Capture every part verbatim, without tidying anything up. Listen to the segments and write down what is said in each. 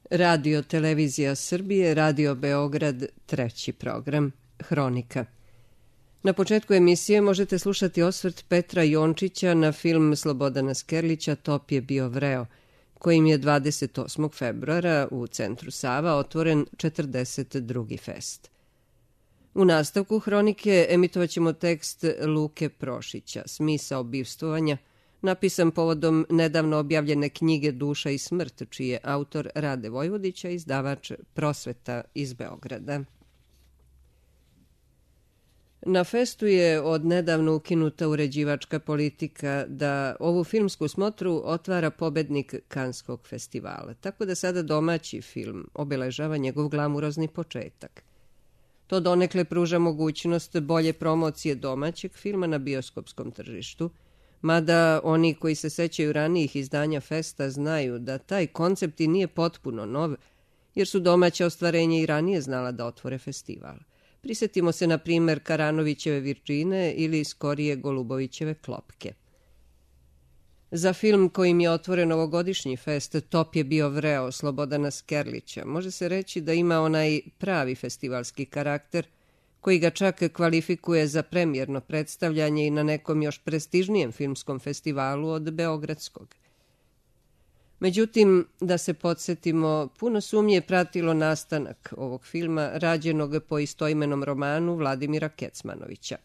Radio Televizija Srbije, Radio Beograd, treći program, Hronika. Na početku emisije možete slušati osvrt Petra Jončića na film Slobodana Skerlića Top je bio vreo, kojim je dvadeset osmog februara u centru Sava otvoren četrdeset drugi fest. U nastavku Hronike emitovat ćemo tekst Luke Prošića, Smisao bivstvovanja, napisan povodom nedavno objavljene knjige Duša i smrt, čiji je autor Rade Vojvodića, izdavač Prosveta iz Beograda. Na festu je od nedavno ukinuta uređivačka politika da ovu filmsku smotru otvara pobednik Kanskog festivala, tako da sada domaći film obeležava njegov glamurozni početak. To donekle pruža mogućnost bolje promocije domaćeg filma na bioskopskom tržištu, mada oni koji se sećaju ranijih izdanja festa znaju da taj koncept i nije potpuno nov, jer su domaća ostvarenja i ranije znala da otvore festival. Prisetimo se, na primer, Karanovićeve Virčine ili skorije Golubovićeve Klopke. Za film kojim je otvoren ovogodišnji fest Top je bio vreo Slobodana Skerlića može se reći da ima onaj pravi festivalski karakter koji ga čak kvalifikuje za premijerno predstavljanje i na nekom još prestižnijem filmskom festivalu od Beogradskog. Međutim, da se podsjetimo, puno sumnje je pratilo nastanak ovog filma, rađenog po istoimenom romanu Vladimira Kecmanovića.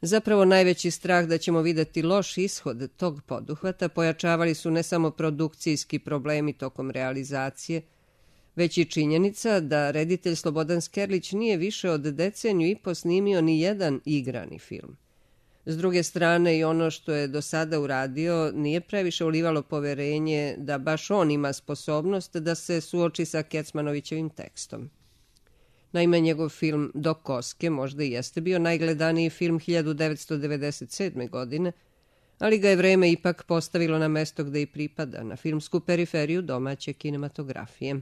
Zapravo najveći strah da ćemo videti loš ishod tog poduhvata pojačavali su ne samo produkcijski problemi tokom realizacije, već i činjenica da reditelj Slobodan Skerlić nije više od deceniju i po snimio ni jedan igrani film. S druge strane, i ono što je do sada uradio nije previše ulivalo poverenje da baš on ima sposobnost da se suoči sa Kecmanovićevim tekstom. Naime, njegov film Do koske možda i jeste bio najgledaniji film hiljadu devetsto devedeset sedme. godine, ali ga je vreme ipak postavilo na mesto gde i pripada, na filmsku periferiju domaće kinematografije.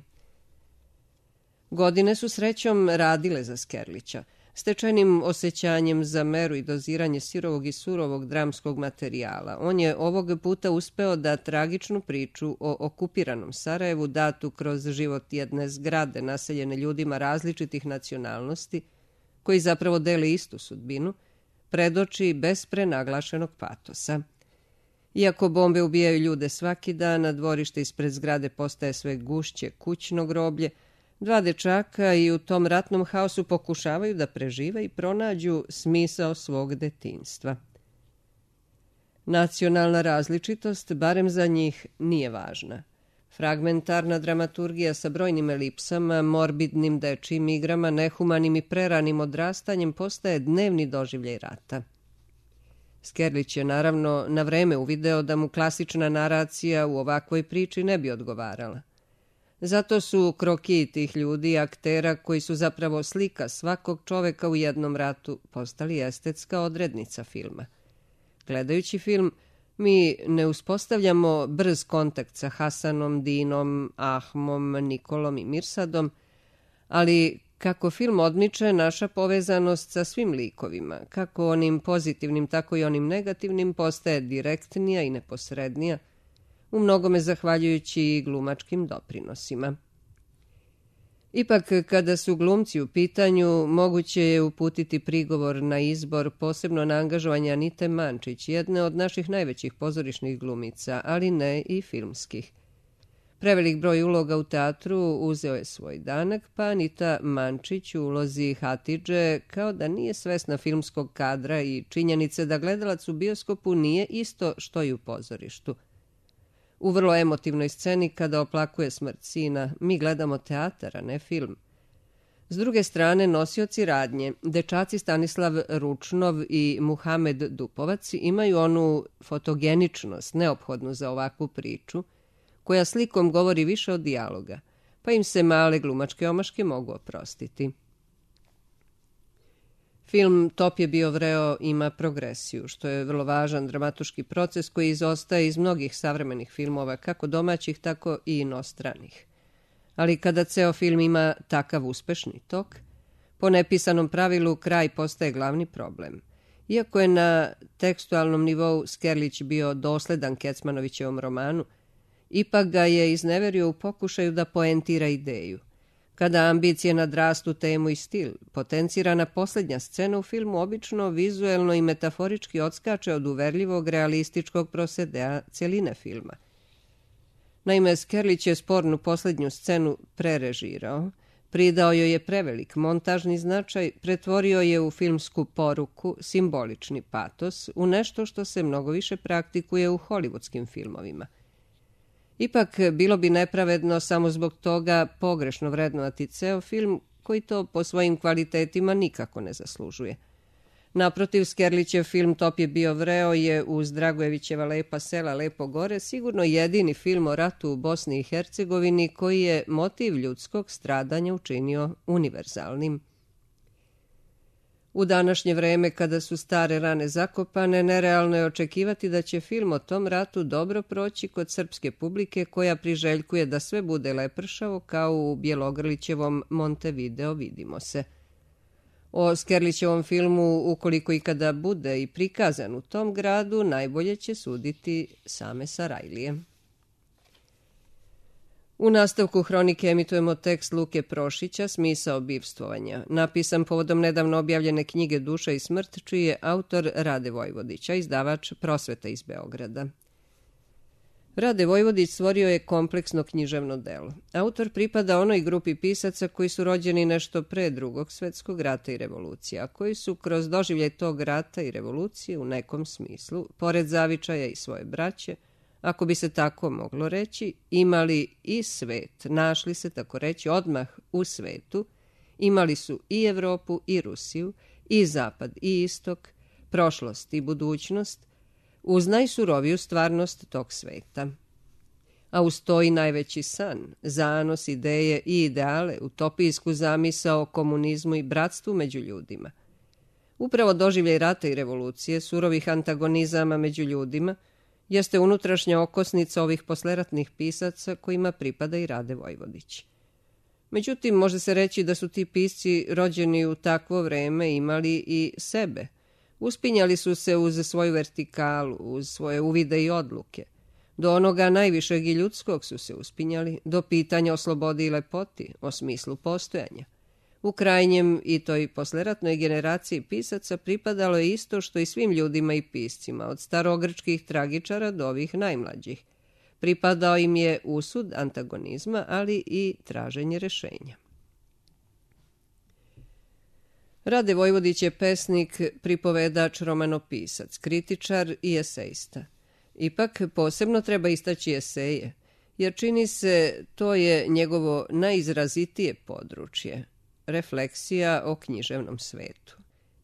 Godine su srećom radile za Skerlića. Stečajnim osjećanjem za meru i doziranje sirovog i surovog dramskog materijala, on je ovog puta uspeo da tragičnu priču o okupiranom Sarajevu, datu kroz život jedne zgrade naseljene ljudima različitih nacionalnosti, koji zapravo dele istu sudbinu, predoči bez prenaglašenog patosa. Iako bombe ubijaju ljude svaki dan, a dvorište ispred zgrade postaje sve gušće kućno groblje, dva dečaka i u tom ratnom haosu pokušavaju da prežive i pronađu smisao svog detinjstva. Nacionalna različitost, barem za njih, nije važna. Fragmentarna dramaturgija sa brojnim elipsama, morbidnim dečijim igrama, nehumanim i preranim odrastanjem postaje dnevni doživljaj rata. Skerlić je naravno na vreme uvideo da mu klasična naracija u ovakvoj priči ne bi odgovarala. Zato su krokiji tih ljudi i aktera, koji su zapravo slika svakog čoveka u jednom ratu, postali estetska odrednica filma. Gledajući film, mi ne uspostavljamo brz kontakt sa Hasanom, Dinom, Ahmom, Nikolom i Mirsadom, ali kako film odmiče, naša povezanost sa svim likovima, kako onim pozitivnim, tako i onim negativnim, postaje direktnija i neposrednija, u mnogome zahvaljujući i glumačkim doprinosima. Ipak, kada su glumci u pitanju, moguće je uputiti prigovor na izbor, posebno na angažovanje Anite Mančić, jedne od naših najvećih pozorišnih glumica, ali ne i filmskih. Prevelik broj uloga u teatru uzeo je svoj danak, pa Anita Mančić u ulozi Hatidže kao da nije svesna filmskog kadra i činjenice da gledalac u bioskopu nije isto što i u pozorištu. U vrlo emotivnoj sceni kada oplakuje smrt sina, mi gledamo teatar, a ne film. S druge strane, nosioci radnje, dečaci Stanislav Ručnov i Muhamed Dupovac, imaju onu fotogeničnost neophodnu za ovakvu priču, koja slikom govori više od dijaloga, pa im se male glumačke omaške mogu oprostiti. Film Top je bio vreo ima progresiju, što je vrlo važan dramatuški proces koji izostaje iz mnogih savremenih filmova, kako domaćih, tako i inostranih. Ali kada ceo film ima takav uspešni tok, po nepisanom pravilu kraj postaje glavni problem. Iako je na tekstualnom nivou Skerlić bio dosledan Kecmanovićevom romanu, Ipak ga je izneverio u pokušaju da poentira ideju. Kada ambicije nadrastu temu i stil, potencirana posljednja scena u filmu obično vizuelno i metaforički odskače od uverljivog realističkog prosedea cjeline filma. Naime, Skerlić je spornu posljednju scenu prerežirao, pridao joj je prevelik montažni značaj, pretvorio je u filmsku poruku, simbolični patos, u nešto što se mnogo više praktikuje u hollywoodskim filmovima. Ipak, bilo bi nepravedno samo zbog toga pogrešno vrednovati ceo film koji to po svojim kvalitetima nikako ne zaslužuje. Naprotiv, Skerlićev film Top je bio vreo je uz Dragojevićeva Lepa sela, lepo gore sigurno jedini film o ratu u Bosni i Hercegovini koji je motiv ljudskog stradanja učinio univerzalnim. U današnje vreme, kada su stare rane zakopane, nerealno je očekivati da će film o tom ratu dobro proći kod srpske publike koja priželjkuje da sve bude lepršavo kao u Bjelogrlićevom Montevideo vidimo se. O Skerlićevom filmu, ukoliko i kada bude i prikazan u tom gradu, najbolje će suditi same Sarajlije. U nastavku hronike emitujemo tekst Luke Prošića Smisao bivstvovanja, napisan povodom nedavno objavljene knjige Duša i smrt, čiji je autor Rade Vojvodić, a izdavač Prosveta iz Beograda. Rade Vojvodić stvorio je kompleksno književno delo. Autor pripada onoj grupi pisaca koji su rođeni nešto pre Drugog svjetskog rata i revolucije, a koji su kroz doživljaj tog rata i revolucije u nekom smislu, pored zavičaja i svoje braće, ako bi se tako moglo reći, imali i svet, našli se tako reći odmah u svetu, imali su i Evropu i Rusiju, i zapad i istok, prošlost i budućnost, uz najsuroviju stvarnost tog sveta. A uz to i najveći san, zanos, ideje i ideale, utopijsku zamisao o komunizmu i bratstvu među ljudima. Upravo doživljaj rata i revolucije, surovih antagonizama među ljudima, jeste unutrašnja okosnica ovih posleratnih pisaca kojima pripada i Rade Vojvodić. Međutim, može se reći da su ti pisci rođeni u takvo vreme imali i sebe. Uspinjali su se uz svoju vertikalu, uz svoje uvide i odluke. Do onoga najvišeg i ljudskog su se uspinjali, do pitanja o slobodi i lepoti, o smislu postojanja. U krajnjem i toj posleratnoj generaciji pisaca pripadalo je isto što i svim ljudima i piscima, od starogrčkih tragičara do ovih najmlađih. Pripadao im je usud antagonizma, ali i traženje rešenja. Rade Vojvodić je pesnik, pripovedač, romanopisac, kritičar i esejista. Ipak posebno treba istaći eseje, jer čini se to je njegovo najizrazitije područje, refleksija o književnom svetu.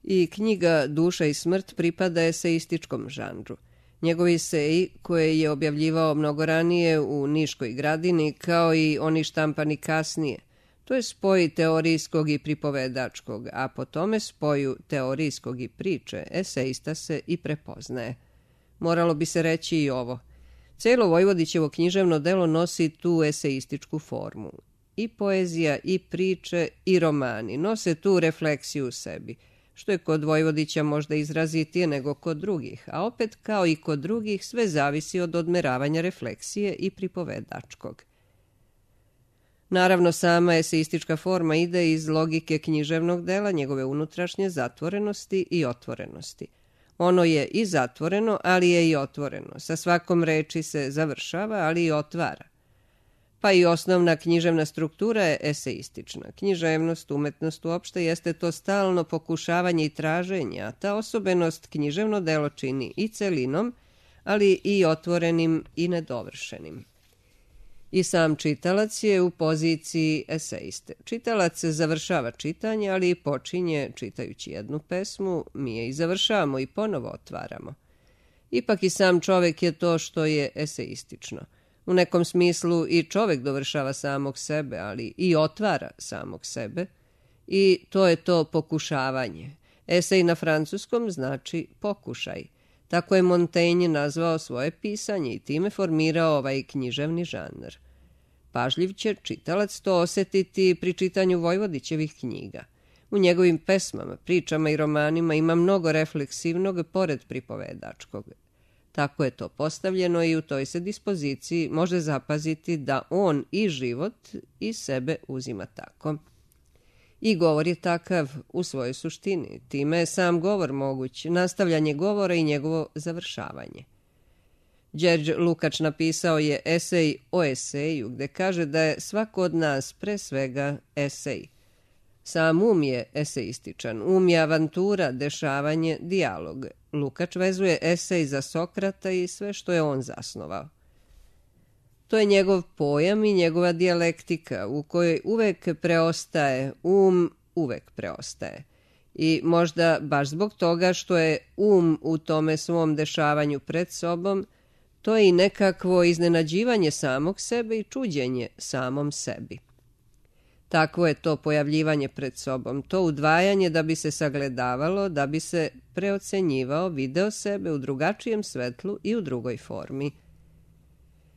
I knjiga Duša i smrt pripada eseističkom žanru. Njegovi eseji, koje je objavljivao mnogo ranije u Niškoj gradini, kao i oni štampani kasnije, to je spoj teorijskog i pripovedačkog, a po tome spoju teorijskog i priče, eseista se i prepoznaje. Moralo bi se reći i ovo. Celo Vojvodićevo književno delo nosi tu eseističku formu. I poezija, i priče, i romani nose tu refleksiju u sebi, što je kod Vojvodića možda izrazitije nego kod drugih, a opet kao i kod drugih sve zavisi od odmeravanja refleksije i pripovedačkog. Naravno, sama eseistička forma ide iz logike književnog dela, njegove unutrašnje zatvorenosti i otvorenosti. Ono je i zatvoreno, ali je i otvoreno. Sa svakom reči se završava, ali i otvara. Pa i osnovna književna struktura je eseistična. Književnost, umetnost uopšte jeste to stalno pokušavanje i traženje, a ta osobenost književno delo čini i celinom, ali i otvorenim i nedovršenim. I sam čitalac je u poziciji eseiste. Čitalac završava čitanje, ali i počinje, čitajući jednu pesmu, mi je i završavamo i ponovo otvaramo. Ipak i sam čovek je to što je eseistično. U nekom smislu i čovek dovršava samog sebe, ali i otvara samog sebe. I to je to pokušavanje. Esej na francuskom znači pokušaj. Tako je Montaigne nazvao svoje pisanje i time formirao ovaj književni žanr. Pažljiv će čitalac to osetiti pri čitanju Vojvodićevih knjiga. U njegovim pesmama, pričama i romanima ima mnogo refleksivnog pored pripovedačkog. Tako je to postavljeno i u toj se dispoziciji može zapaziti da on i život i sebe uzima tako. I govor je takav u svojoj suštini. Time je sam govor moguć, nastavljanje govora i njegovo završavanje. Đerđ Lukač napisao je esej o eseju, gde kaže da je svako od nas pre svega esej. Sam um je eseističan, um je avantura, dešavanje, dijalog. Lukač vezuje esej za Sokrata i sve što je on zasnovao. To je njegov pojam i njegova dijalektika u kojoj uvek preostaje, um uvek preostaje. I možda baš zbog toga što je um u tome svom dešavanju pred sobom, to je i nekakvo iznenađivanje samog sebe i čuđenje samom sebi. Takvo je to pojavljivanje pred sobom, to udvajanje da bi se sagledavalo, da bi se preocenjivao, video sebe u drugačijem svetlu i u drugoj formi.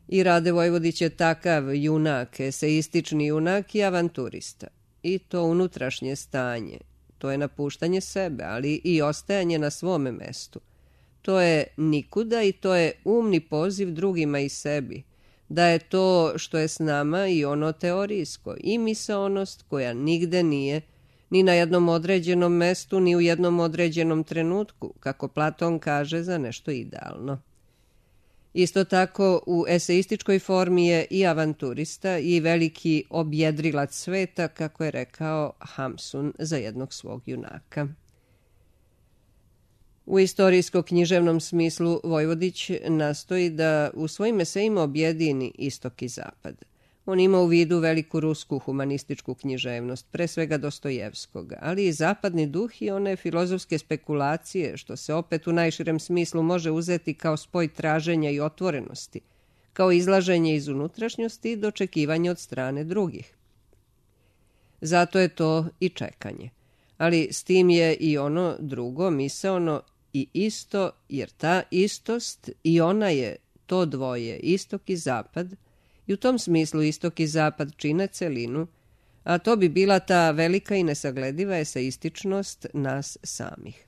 I Rade Vojvodić je takav junak, eseistični junak i avanturista. I to unutrašnje stanje, to je napuštanje sebe, ali i ostajanje na svome mestu. To je nikuda i to je umni poziv drugima i sebi. Da je to što je s nama i ono teorijsko i misaonost koja nigde nije, ni na jednom određenom mestu, ni u jednom određenom trenutku, kako Platon kaže za nešto idealno. Isto tako u eseističkoj formi je i avanturista i veliki objedrilac sveta, kako je rekao Hamsun za jednog svog junaka. U istorijsko-književnom smislu Vojvodić nastoji da u svojim esejima objedini istok i zapad. On ima u vidu veliku rusku humanističku književnost, pre svega Dostojevskog, ali i zapadni duh i one filozofske spekulacije, što se opet u najširem smislu može uzeti kao spoj traženja i otvorenosti, kao izlaženje iz unutrašnjosti i dočekivanje od strane drugih. Zato je to i čekanje. Ali s tim je i ono drugo, misaono i isto, jer ta istost i ona je to dvoje, istok i zapad, i u tom smislu istok i zapad čine celinu, a to bi bila ta velika i nesaglediva eseističnost nas samih.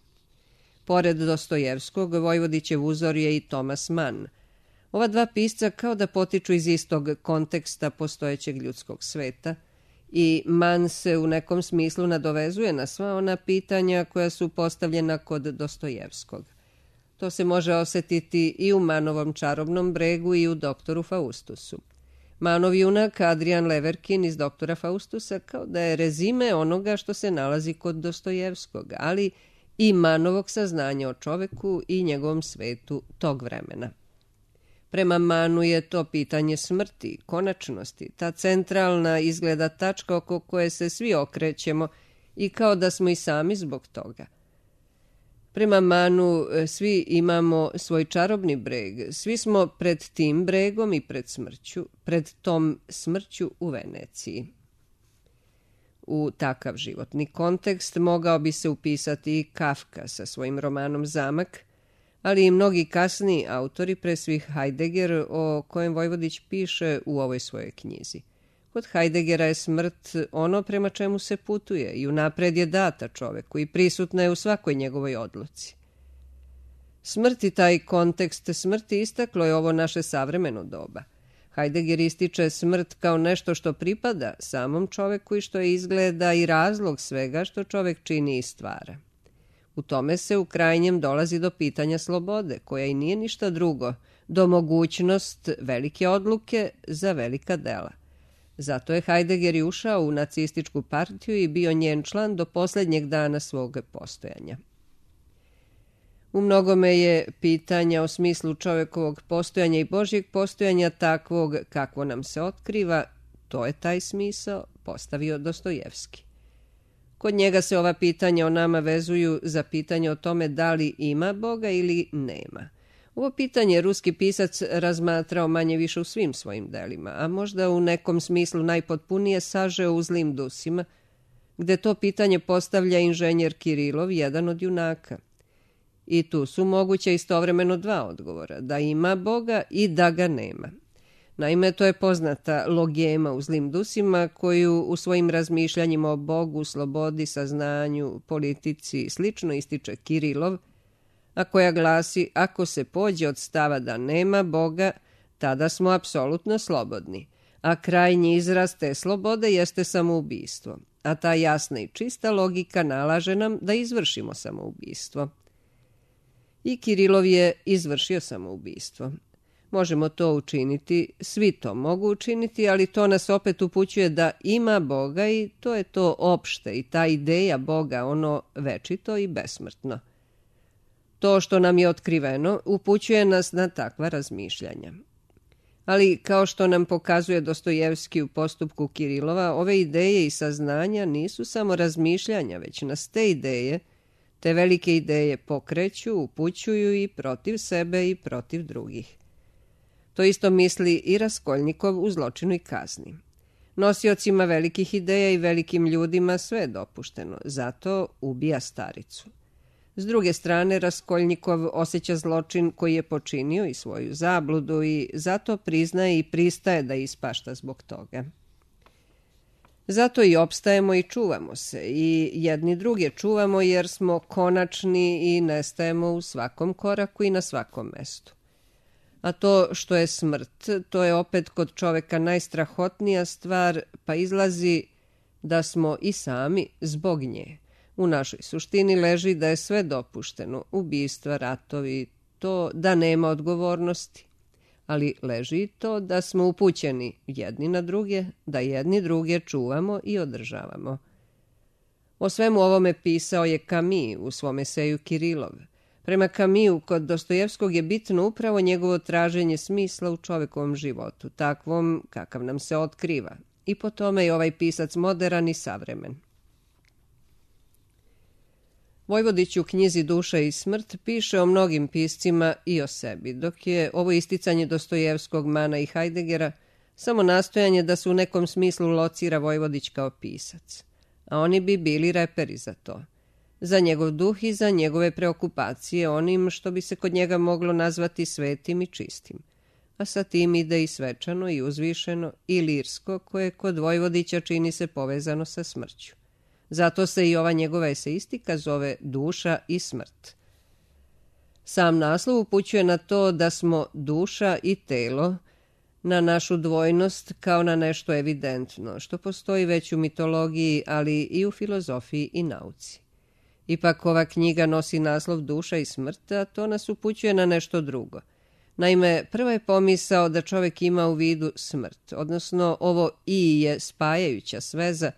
Pored Dostojevskog, Vojvodićev uzor je i Thomas Mann. Ova dva pisca kao da potiču iz istog konteksta postojećeg ljudskog sveta, i Mann se u nekom smislu nadovezuje na sva ona pitanja koja su postavljena kod Dostojevskog. To se može osetiti i u Mannovom Čarobnom bregu i u Doktoru Faustusu. Mannov junak Adrian Leverkin iz Doktora Faustusa kao da je rezime onoga što se nalazi kod Dostojevskog, ali i Mannovog saznanja o čoveku i njegovom svetu tog vremena. Prema Mannu je to pitanje smrti, konačnosti, ta centralna izgleda tačka oko koje se svi okrećemo i kao da smo i sami zbog toga. Prema Mannu svi imamo svoj čarobni breg, svi smo pred tim bregom i pred smrću, pred tom smrću u Veneciji. U takav životni kontekst mogao bi se upisati i Kafka sa svojim romanom Zamak, ali i mnogi kasniji autori, pre svih Heidegger, o kojem Vojvodić piše u ovoj svojoj knjizi. Kod Heideggera je smrt ono prema čemu se putuje i unapred je data čoveku i prisutna je u svakoj njegovoj odluci. Smrt i taj kontekst smrti istaklo je ovo naše savremeno doba. Heidegger ističe smrt kao nešto što pripada samom čoveku i što je izgleda i razlog svega što čovek čini i stvara. U tome se u krajnjem dolazi do pitanja slobode, koja i nije ništa drugo, do mogućnost velike odluke za velika dela. Zato je Heidegger i ušao u nacističku partiju i bio njen član do posljednjeg dana svog postojanja. U mnogome je pitanja o smislu čovekovog postojanja i Božjeg postojanja takvog kakvo nam se otkriva, to je taj smisao, postavio Dostojevski. Kod njega se ova pitanja o nama vezuju za pitanje o tome da li ima Boga ili nema. Ovo pitanje ruski pisac razmatrao manje više u svim svojim delima, a možda u nekom smislu najpotpunije sažeo u Zlim dusima, gde to pitanje postavlja inženjer Kirilov, jedan od junaka. I tu su moguće istovremeno dva odgovora, da ima Boga i da ga nema. Naime, to je poznata logema u Zlim dusima koju u svojim razmišljanjima o Bogu, slobodi, saznanju, politici i slično ističe Kirilov, a koja glasi: ako se pođe od stava da nema Boga, tada smo apsolutno slobodni, a krajnji izraz te slobode jeste samoubistvo, a ta jasna i čista logika nalaže nam da izvršimo samoubistvo. I Kirilov je izvršio samoubistvo. Možemo to učiniti, svi to mogu učiniti, ali to nas opet upućuje da ima Boga i to je to opšte i ta ideja Boga, ono večito i besmrtno. To što nam je otkriveno upućuje nas na takva razmišljanja. Ali, kao što nam pokazuje Dostojevski u postupku Kirilova, ove ideje i saznanja nisu samo razmišljanja, već nas te ideje, te velike ideje pokreću, upućuju i protiv sebe i protiv drugih. To isto misli i Raskolnikov u Zločinu i kazni. Nosiocima velikih ideja i velikim ljudima sve je dopušteno, zato ubija staricu. S druge strane, Raskolnikov osjeća zločin koji je počinio i svoju zabludu i zato priznaje i pristaje da ispašta zbog toga. Zato i opstajemo i čuvamo se i jedni druge čuvamo jer smo konačni i nestajemo u svakom koraku i na svakom mestu. A to što je smrt, to je opet kod čoveka najstrahotnija stvar, pa izlazi da smo i sami zbog nje. U našoj suštini leži da je sve dopušteno, ubistva, ratovi, to da nema odgovornosti. Ali leži i to da smo upućeni jedni na druge, da jedni druge čuvamo i održavamo. O svemu ovome pisao je Camus u svom eseju Kirilov. Prema Camusu, kod Dostojevskog je bitno upravo njegovo traženje smisla u čovekovom životu, takvom kakav nam se otkriva. I po tome je ovaj pisac moderan i savremen. Vojvodić u knjizi Duša i smrt piše o mnogim piscima i o sebi, dok je ovo isticanje Dostojevskog, Mana i Heideggera samo nastojanje da se u nekom smislu locira Vojvodić kao pisac. A oni bi bili reperi za to. Za njegov duh i za njegove preokupacije onim što bi se kod njega moglo nazvati svetim i čistim. A sa tim ide i svečano i uzvišeno i lirsko koje kod Vojvodića čini se povezano sa smrću. Zato se i ova njegova eseistika zove Duša i smrt. Sam naslov upućuje na to da smo duša i telo, na našu dvojnost kao na nešto evidentno, što postoji već u mitologiji, ali i u filozofiji i nauci. Ipak ova knjiga nosi naslov Duša i smrt, a to nas upućuje na nešto drugo. Naime, prva je pomisao da čovjek ima u vidu smrt, odnosno ovo i je spajajuća sveza,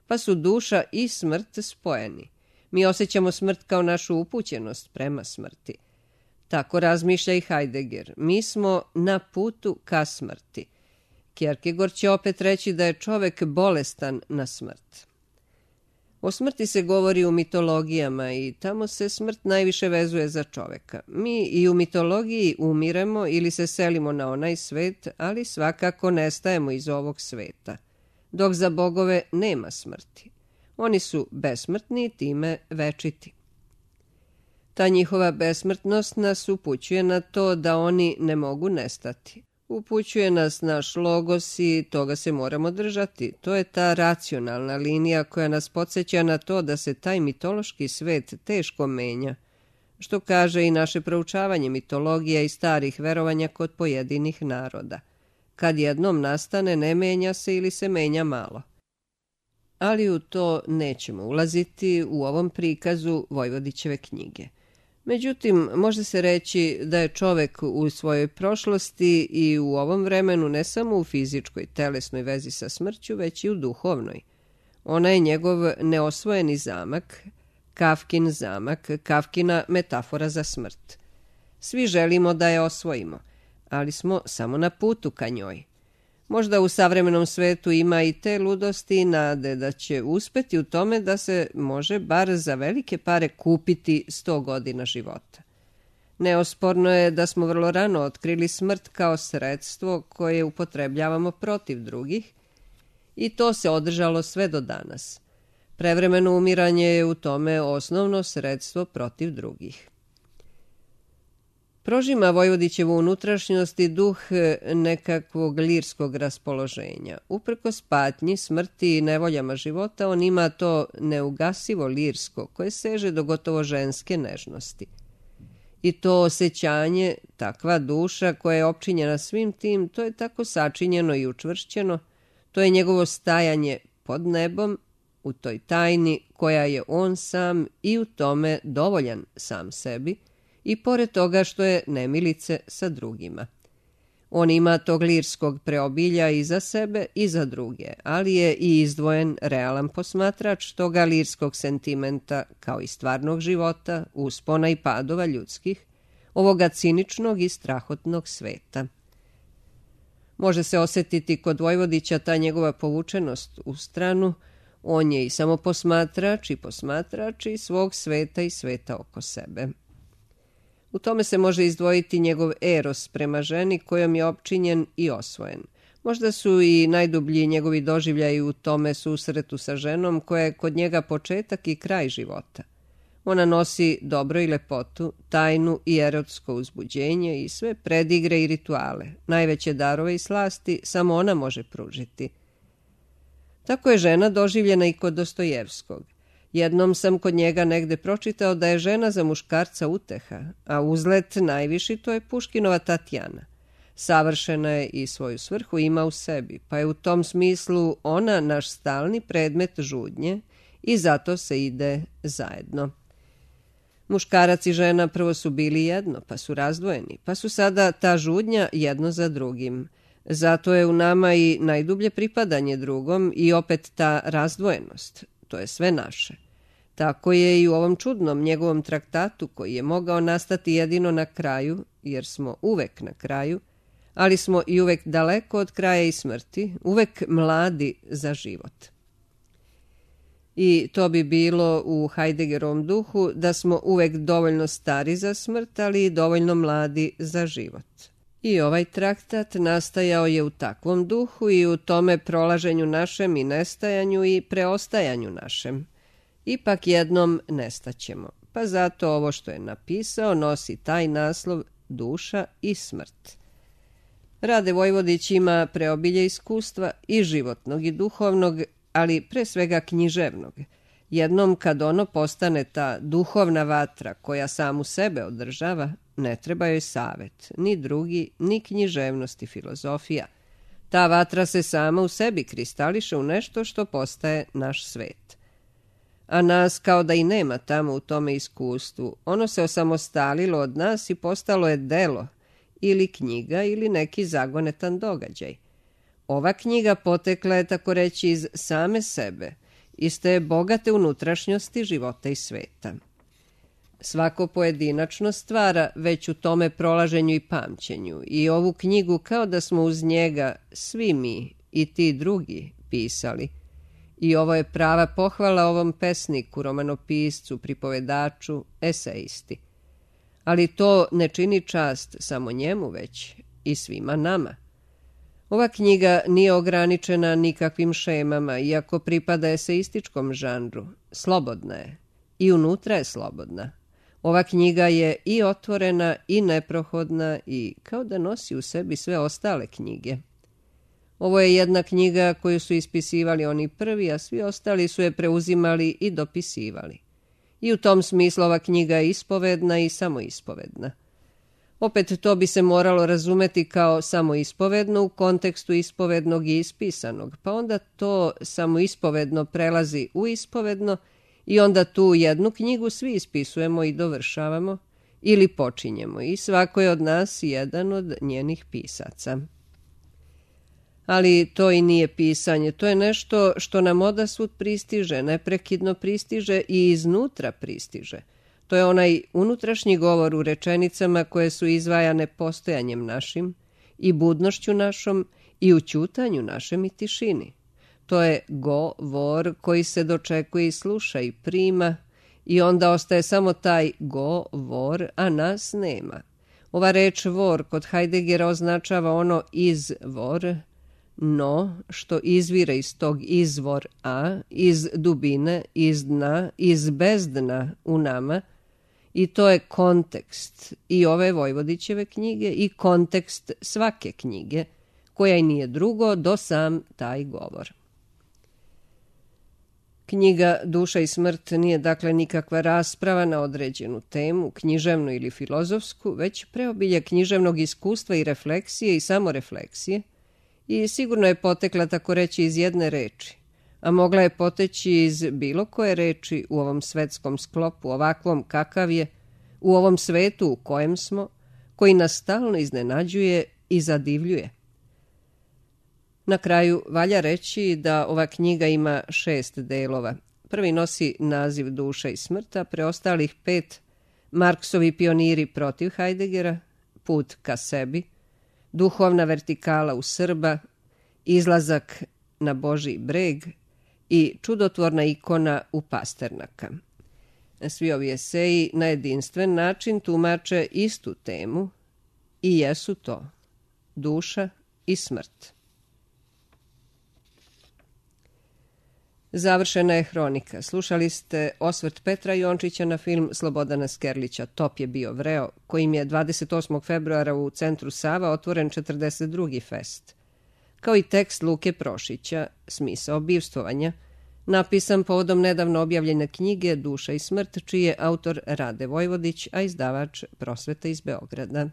pa su duša i smrt spojeni. Mi osjećamo smrt kao našu upućenost prema smrti. Tako razmišlja i Heidegger. Mi smo na putu ka smrti. Kierkegaard će opet reći da je čovek bolestan na smrt. O smrti se govori u mitologijama i tamo se smrt najviše vezuje za čoveka. Mi i u mitologiji umiremo ili se selimo na onaj svet, ali svakako nestajemo iz ovog sveta. Dok za bogove nema smrti. Oni su besmrtni i time večiti. Ta njihova besmrtnost nas upućuje na to da oni ne mogu nestati. Upućuje nas naš logos i toga se moramo držati. To je ta racionalna linija koja nas podsjeća na to da se taj mitološki svet teško menja, što kaže i naše proučavanje mitologija i starih verovanja kod pojedinih naroda. Kad jednom nastane, ne menja se ili se menja malo. Ali u to nećemo ulaziti u ovom prikazu Vojvodićeve knjige. Međutim, može se reći da je čovek u svojoj prošlosti i u ovom vremenu ne samo u fizičkoj, telesnoj vezi sa smrću, već i u duhovnoj. Ona je njegov neosvojeni zamak, Kafkin zamak, Kafkina metafora za smrt. Svi želimo da je osvojimo, ali smo samo na putu ka njoj. Možda u savremenom svetu ima i te ludosti i nade da će uspeti u tome da se može bar za velike pare kupiti sto godina života. Neosporno je da smo vrlo rano otkrili smrt kao sredstvo koje upotrebljavamo protiv drugih i to se održalo sve do danas. Prevremeno umiranje je u tome osnovno sredstvo protiv drugih. Prožima Vojvodićevu unutrašnjost i duh nekakvog lirskog raspoloženja. Uprkos patnji, smrti i nevoljama života, on ima to neugasivo lirsko koje seže do gotovo ženske nežnosti. I to osjećanje, takva duša koja je opčinjena svim tim, to je tako sačinjeno i učvršćeno, to je njegovo stajanje pod nebom, u toj tajni koja je on sam i u tome dovoljan sam sebi, i pored toga što je nemilice sa drugima. On ima tog lirskog preobilja i za sebe i za druge, ali je i izdvojen realan posmatrač toga lirskog sentimenta kao i stvarnog života, uspona i padova ljudskih, ovoga ciničnog i strahotnog sveta. Može se osjetiti kod Vojvodića ta njegova povučenost u stranu, on je i samo posmatrač i posmatrač i svog sveta i sveta oko sebe. U tome se može izdvojiti njegov eros prema ženi kojom je opčinjen i osvojen. Možda su i najdublji njegovi doživljaji u tome susretu sa ženom koja je kod njega početak i kraj života. Ona nosi dobro i lepotu, tajnu i erotsko uzbuđenje i sve predigre i rituale. Najveće darove i slasti samo ona može pružiti. Tako je žena doživljena i kod Dostojevskog. Jednom sam kod njega negde pročitao da je žena za muškarca uteha, a uzlet najviši to je Puškinova Tatjana. Savršena je i svoju svrhu ima u sebi, pa je u tom smislu ona naš stalni predmet žudnje i zato se ide zajedno. Muškarac i žena prvo su bili jedno, pa su razdvojeni, pa su sada ta žudnja jedno za drugim. Zato je u nama i najdublje pripadanje drugom i opet ta razdvojenost. To je sve naše. Tako je i u ovom čudnom njegovom traktatu koji je mogao nastati jedino na kraju, jer smo uvek na kraju, ali smo i uvek daleko od kraja i smrti, uvek mladi za život. I to bi bilo u Heideggerovom duhu da smo uvek dovoljno stari za smrt, ali i dovoljno mladi za život. I ovaj traktat nastajao je u takvom duhu i u tome prolaženju našem i nestajanju i preostajanju našem. Ipak jednom nestaćemo, pa zato ovo što je napisao nosi taj naslov Duša i smrt. Rade Vojvodić ima preobilje iskustva i životnog i duhovnog, ali pre svega književnog. Jednom kad ono postane ta duhovna vatra koja samu sebe održava, ne treba joj savet, ni drugi, ni književnost i filozofija. Ta vatra se sama u sebi kristališe u nešto što postaje naš svet. A nas kao da i nema tamo u tome iskustvu, ono se osamostalilo od nas i postalo je delo, ili knjiga ili neki zagonetan događaj. Ova knjiga potekla je tako reći iz same sebe, iz te bogate unutrašnjosti života i sveta. Svako pojedinačno stvara već u tome prolaženju i pamćenju i ovu knjigu kao da smo uz njega svi mi i ti drugi pisali. I ovo je prava pohvala ovom pesniku, romanopiscu, pripovedaču, esejisti. Ali to ne čini čast samo njemu već i svima nama. Ova knjiga nije ograničena nikakvim šemama, iako pripada eseističkom žanru. Slobodna je. I unutra je slobodna. Ova knjiga je i otvorena i neprohodna i kao da nosi u sebi sve ostale knjige. Ovo je jedna knjiga koju su ispisivali oni prvi, a svi ostali su je preuzimali i dopisivali. I u tom smislu ova knjiga je ispovedna i samoispovedna. Opet to bi se moralo razumeti kao samoispovedno u kontekstu ispovednog i ispisanog, pa onda to samoispovedno prelazi u ispovedno i onda tu jednu knjigu svi ispisujemo i dovršavamo ili počinjemo i svako je od nas jedan od njenih pisaca. Ali to i nije pisanje, to je nešto što nam odasvud pristiže, neprekidno pristiže i iznutra pristiže. To je onaj unutrašnji govor u rečenicama koje su izvajane postojanjem našim i budnošću našom i u ćutanju našem i tišini. To je govor koji se dočekuje i sluša i prima i onda ostaje samo taj govor, a nas nema. Ova reč vor kod Heideggera označava ono izvor, no što izvire iz tog izvor a, iz dubine, iz dna, iz bezdna u nama, i to je kontekst i ove Vojvodićeve knjige i kontekst svake knjige, koja i nije drugo do sam taj govor. Knjiga Duša i smrt nije dakle nikakva rasprava na određenu temu, književnu ili filozofsku, već preobilje književnog iskustva i refleksije i samorefleksije i sigurno je potekla tako reći iz jedne reči, a mogla je poteći iz bilo koje reči u ovom svetskom sklopu, ovakvom kakav je, u ovom svetu u kojem smo, koji nas stalno iznenađuje i zadivljuje. Na kraju valja reći da ova knjiga ima šest delova. Prvi nosi naziv Duša i smrt, a preostalih pet Marksovi pioniri protiv Heideggera, Put ka sebi, Duhovna vertikala u Srba, Izlazak na Božji breg i Čudotvorna ikona u Pasternaka. Svi ovi eseji na jedinstven način tumače istu temu i jesu to duša i smrt. Završena je hronika. Slušali ste osvrt Petra Jončića na film Slobodana Skerlića Top je bio vreo, kojim je dvadeset osmog februara u centru Sava otvoren četrdeset drugi fest, kao i tekst Luke Prošića Smisao bivstvovanja, napisan povodom nedavno objavljene knjige Duša i smrt, čiji je autor Rade Vojvodić, a izdavač Prosveta iz Beograda.